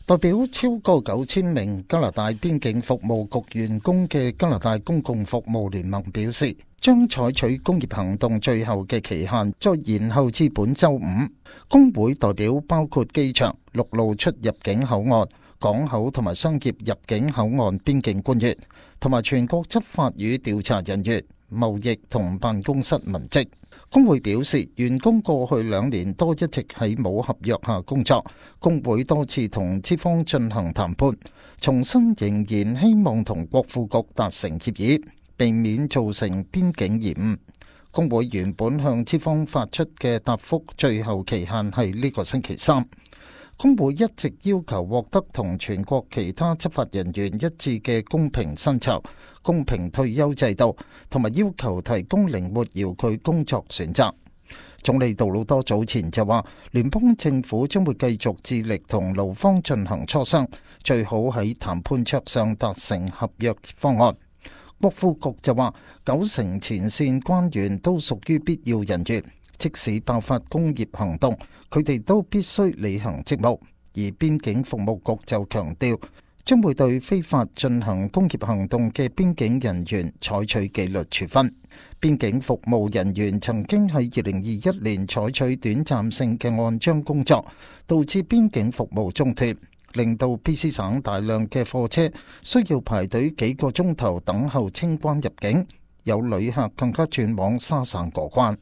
代表超過9000名加拿大邊境服務局員工嘅加拿大公共服務聯盟表示，將採取工業行動最後嘅期限再延後至本週五。工會代表包括機場、陸路出入境口岸、港口同埋商業入境口岸邊境官員，同埋全國執法與調查人員、貿易同辦公室文職。工會表示，員工過去2年多一直喺冇合約下工作，工會多次同資方進行談判，重申仍然希望同國庫局達成協議，避免造成邊境延誤。工會原本向資方發出嘅答覆最後期限係呢個星期3。工會一直要求獲得同全國其他執法人員一致嘅公平薪酬、公平退休制度，同埋要求提供靈活遙距工作選擇。總理杜魯多早前就話，聯邦政府將會繼續致力同勞方進行磋商，最好喺談判桌上達成合約方案。國庫局就話，90%前線官員都屬於必要人員。即使爆發工業行動，佢哋都必須履行職務。而邊境服務局就強調，將會對非法進行工業行動嘅邊境人員採取紀律處分。邊境服務人員曾經喺2021年採取短暫性嘅按章工作，導致邊境服務中斷，令到 BC 省大量嘅貨車需要排隊幾個鐘頭等候清關入境，有旅客更加轉往沙省過關。